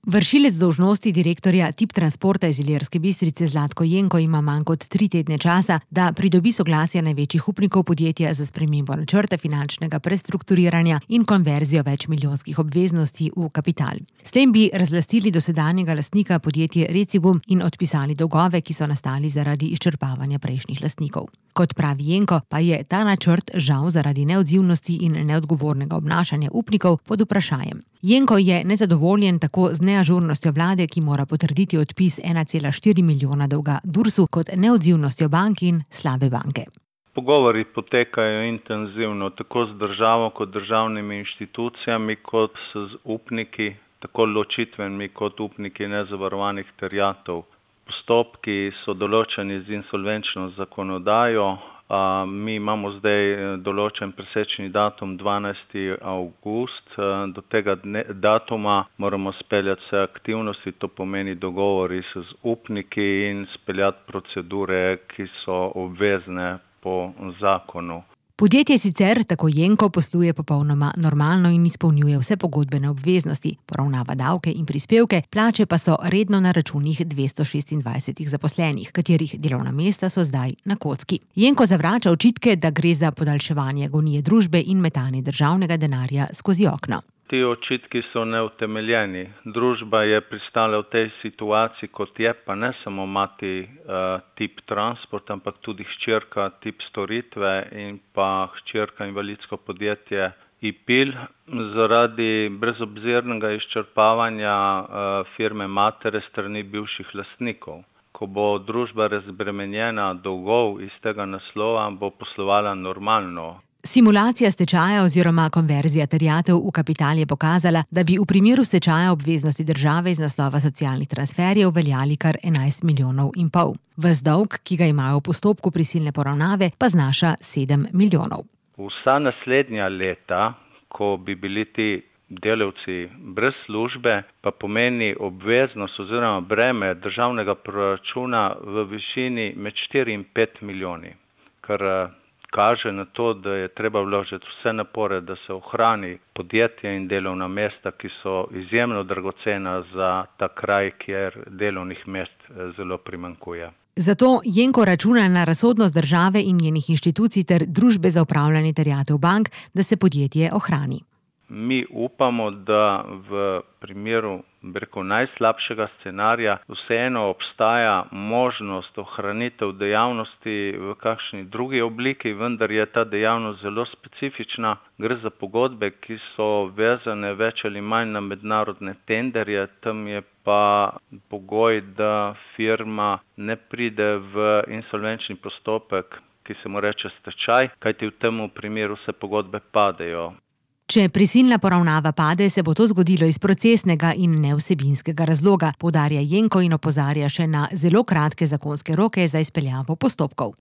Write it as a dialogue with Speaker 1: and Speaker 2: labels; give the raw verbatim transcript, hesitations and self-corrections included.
Speaker 1: Vršilec dolžnosti direktorja Tip Transporta iz Ilirske Bistrice Zlatko Jenko ima manj kot tri tedne časa, da pridobi soglasje največjih upnikov podjetja za spremembo načrta finančnega prestrukturiranja in konverzijo večmilijonskih obveznosti v kapital. S tem bi razlastili dosedanjega lastnika podjetje Recigum in odpisali dolgove, ki so nastali zaradi izčrpavanja prejšnjih lastnikov. Kot pravi Jenko, pa je ta načrt žal zaradi neodzivnosti in neodgovornega obnašanja upnikov pod vprašanjem. Jenko je nezadovoljen tako z neažurnostjo vlade, ki mora potrditi odpis ena cela štiri milijona dolga Dursu, kot neodzivnostjo bank in slabe banke.
Speaker 2: Pogovori potekajo intenzivno, tako z državo kot državnimi inštitucijami, kot z upniki, tako ločitvenimi kot upniki nezavarovanih terjatev. Postopki so določeni z insolvenčno zakonodajo. A, mi imamo zdaj določen presečni datum dvanajsti avgust. Do tega dne, datuma moramo speljati vse aktivnosti, to pomeni dogovori z upniki in speljati procedure, ki so obvezne po zakonu.
Speaker 1: Podjetje sicer, tako Jenko, posluje popolnoma normalno in izpolnjuje vse pogodbene obveznosti, poravnava davke in prispevke, plače pa so redno na računih dvesto šestindvajset zaposlenih, katerih delovna mesta so zdaj na kocki. Jenko zavrača očitke, da gre za podaljševanje agonije družbe in metanje državnega denarja skozi okno.
Speaker 2: Ti očitki so neutemeljeni. Družba je pristala v tej situaciji, kot je, pa ne samo mati uh, Tip Transport, ampak tudi hčerka Tip Storitve in pa hčerka invalidsko podjetje Ipil. Zaradi brezobzirnega izčrpavanja uh, firme matere strani bivših lastnikov. Ko bo družba razbremenjena dolgov iz tega naslova, bo poslovala normalno.
Speaker 1: Simulacija stečaja oziroma konverzija terjatev v kapital je pokazala, da bi v primeru stečaja obveznosti države iz naslova socialnih transferjev veljali kar enajst milijonov in pol. Ves dolg, ki ga imajo v postopku prisilne poravnave, pa znaša sedem milijonov.
Speaker 2: Vsa naslednja leta, ko bi bili ti delavci brez službe, pa pomeni obveznost oziroma breme državnega proračuna v višini med štiri in pet milijoni, kar kaže na to, da je treba vložiti vse napore, da se ohrani podjetje in delovna mesta, ki so izjemno dragocena za ta kraj, kjer delovnih mest zelo primanjkuje.
Speaker 1: Zato Jenko računa na razsodnost države in njenih inštitucij ter družbe za upravljanje terjatev bank, da se podjetje ohrani.
Speaker 2: Mi upamo, da v primeru breko najslabšega scenarija vseeno obstaja možnost ohranitev dejavnosti v kakšni drugi obliki, vendar je ta dejavnost zelo specifična. Gre za pogodbe, ki so vezane več ali manj na mednarodne tenderje, tam je pa pogoj, da firma ne pride v insolvenčni postopek, ki se mu reče stečaj, kajti v tem primeru se pogodbe padejo.
Speaker 1: Če prisilna poravnava pade, se bo to zgodilo iz procesnega in nevsebinskega razloga, poudarja Jenko in opozarja še na zelo kratke zakonske roke za izpeljavo postopkov.